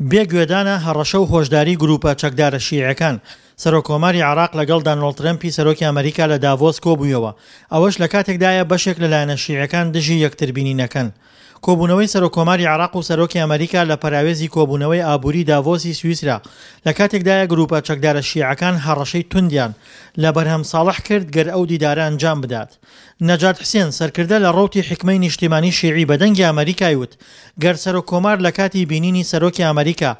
بێ گوێدانە هەڕەشە و هۆشداری گرووپە چەکدارە شیعەکان، سەرۆککۆماری عێراق لەگەڵ دانۆڵد ترەمپی سەرۆکی ئەمەریکا لە داڤۆس کۆبوویەوە، ئەوەش لەکاتێکدایە بەشێک لە لایەنە شیعەکان دژی یەکتربینینەکەن. کۆبوونەوەی سەرۆککۆماری عێراق و سەرۆکی ئەمەریکا لە پەراوێزی کۆبوونەوەی ئابووری داڤۆسی سویسرا لەکاتێکدایە گرووپە چەکدارە شیعەکان هەڕەشەی توندیان لە بەرهەم ساڵح کرد گەر ئەو دیدارە ئەنجام بدات. نەجات حسێن، سەرکردە لە ڕەوتی حیکمەی نیشتیمانی شیعی بە دەنگی ئەمەریکای وت، گەر سەرۆک کۆمار لە کاتی بینینی سەرۆکی ئەمەریکا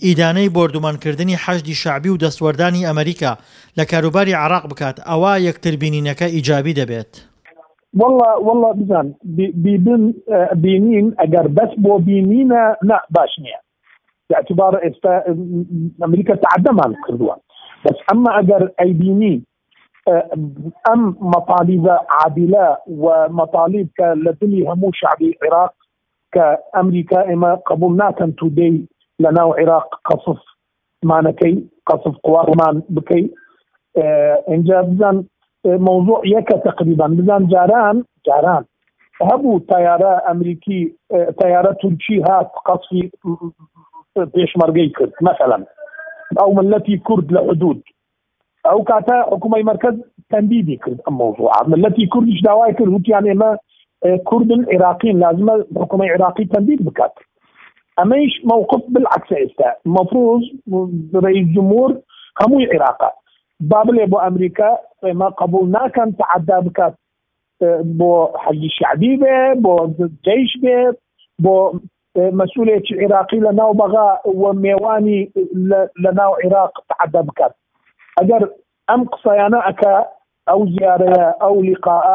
ئیدانەی بۆردومانکردنی حەشدی شەعبی و دەستوەردانی ئەمەریکا لە کاروباری عێراق بکات ئەوا یەکتر بینینەکە ئیجابی دەبێت. واللە واللە بزان بیبن بینین ئەگەر بەس بۆ بینینە نا باش نییە باعتبار ئێستا ئەمریکا تعدەمان کردووە بەس ئەمما ئەگەر ئەیبینی ئەم مەتالیبە عادلە و مەتالیب کە لە دلی هەموو شعبی عێراق کە ئەمریکا ئێمە قبول ناکەن تودەی لە ناو عێراق قەسف مانەکەی قەسف قوامان بکەی اینجا بزان موضوع یەکە تقریبا بزان جاران جاران هەبوو تیارە ئەمریکی تیارە تورکی هات قەسفی پێشمەرگەی کرد مثلا ئەو ملەتی کورد لە حدود ئەو کاتە حکوومەی مەرکەز تەندیدی کرد ئەم مەوزوعە ملەتی کوردیش داوای کرد وتیان ئێمە کوردن عێراقین لازمە حکوومەی عێراقی تەندید بکات ئەمەیش مووقف بالعکس ئێستا مەفروز رئیس جمهور هەمووی عێراقە با بڵێ بۆ ئەمریکا ئێمە قبول ناکەن تعدا بکات بۆ حەجی شعبی بێ بۆ جەیش بێ بۆ مەسولێکی عێراقی لە ناو بەغا و مێوانی لە ناو عێراق تعدە بکات ئەگەر ئەم قسەیانە ئەکا ئەو زیارەیە ئەو لیقاء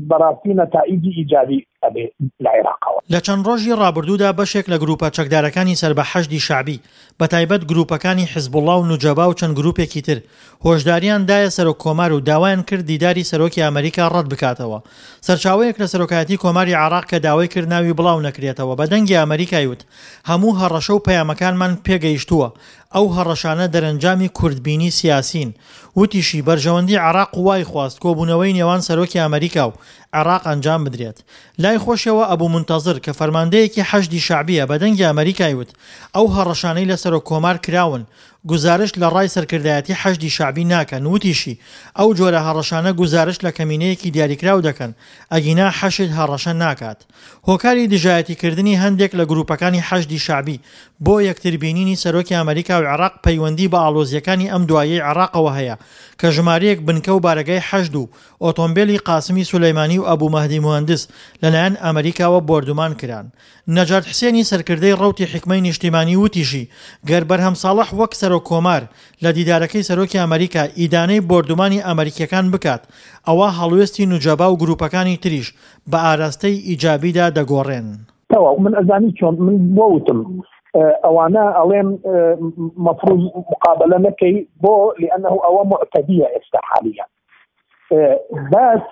بەڕاستی نەتائیجی ئیجابی ئەبێ لە عێراقەوە. لە چەند ڕۆژی ڕابردوودا بەشێک لە گرووپە چەکدارەکانی سەر بە حەشدی شەعبی، بەتایبەت گرووپەکانی حزبوڵڵا و نوجەبا و چەند گرووپێکی تر، هۆشدارییان دایە سەرۆک کۆمار و داوایان کرد دیداری سەرۆکی ئەمەریکا ڕەت بکاتەوە. سەرچاوەیەک لە سەرۆکایەتی کۆماری عێراق کە داوای کرد ناوی بڵاو نەکرێتەوە بە دەنگی ئەمەریکای وت، هەموو هەڕەشە و پەیامەکانمان پێگەیشتووە، ئەو هەڕەشانە دەرەنجامی کورتبینی سیاسین. وتیشی، بەرژەوەندی عێراق وای خواست کۆبوونەوەی نێوان سەرۆکی ئەمەریکا و عێراق ئەنجام بدرێت. لای خۆشیەوە ئەبو مونتەزر کە فەرماندەیەکی حەشدی شەعبیە بە دەنگی ئەمەریکای وت، ئەو هەڕەشانەی لە سەرۆک کۆمار کراون گوزارشت لە ڕای سەرکردایەتی حەشدی شەعبی ناکەن، وتیشی، ئەو جۆرە هەڕەشانە گوزارشت لە کەمینەیەکی دیاریکراو دەکەن، ئەگینا حەشد هەڕەشە ناکات. هۆکاری دژایەتیکردنی هەندێک لە گروپەکانی حەشدی شەعبی بۆ یەکتربینینی سەرۆکی ئەمەریکا و عێراق پەیوەندی بە ئاڵۆزییەکانی ئەم دواییەی عێراقەوە هەیە کە ژمارەیەک بنکە و بارەگای حەشد و ئۆتۆمبێلی قاسمی سولەیمانی و ئەبو مەهدی موهەندس لەلایەن ئەمەریکاوە بۆردومان کران. نەجات حسێنی سەرکردەی ڕەوتی حیکمەی نیشتیمانی وتیشی، گەر بەرهەم ساڵح وەک سەرۆک کۆمار لە دیدارەکەی سەرۆکی ئەمەریکا ئیدانەی بۆردومانی ئەمەریکیەکان بکات ئەوا هەڵوێستی نوجەبا و گروپەکانی تریش بە ئاراستەی ئیجابیدا دەگۆڕێن. تەواو من ئەزانی چۆن من بۆ وتم ئەوانە ئەڵێن مەفروض مقابلە نەکەی بۆ لأنه ئەوە معتدیە ئێستا حالیە بس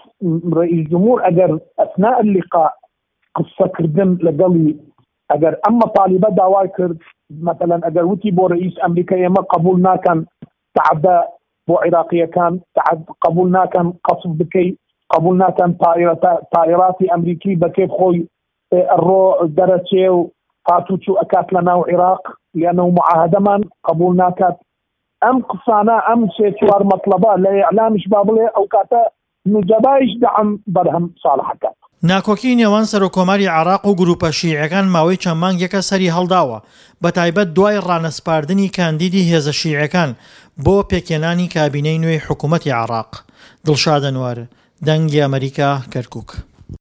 رئیس جمهور ئەگەر ئەثناء اللقاء قسەکردن لەگەڵی ئەگەر ئەم مەتالیبە داوای کرد مەتەلەن ئەگەر وتی بۆ رئیس ئەمریکا ئێمە قبول ناکەن تعدە بۆ عیراقیەکان قبول ناکەن قەسف بکەی قبول ناکەن تائیراتی ئەمریکی بە کێف خۆی ڕۆ دەرەچێ و هاتوچوو ئەکات لە ناو عیراق لەنەو معاهدەمان قبول ناکات ئەم قسانە ئەم سێ چوار مەتڵەبە لە ئیعلامیش با بڵێ ئەو کاتە نوجەبایش دەعم بەرهەم ساڵح ئەکات. ناکۆکیی نێوان سەرۆککۆماری عێراق و گرووپە شیعیەکان ماوەی چەند مانگێکە سەری هەڵداوە، بەتایبەت دوای ڕانەسپاردنی کاندیدی هێزە شیعیەکان بۆ پێکهێنانی کابینەی نوێی حکوومەتی عێراق. دڵشاد ئەنوەر، دەنگی ئەمەریکا، کەرکووک.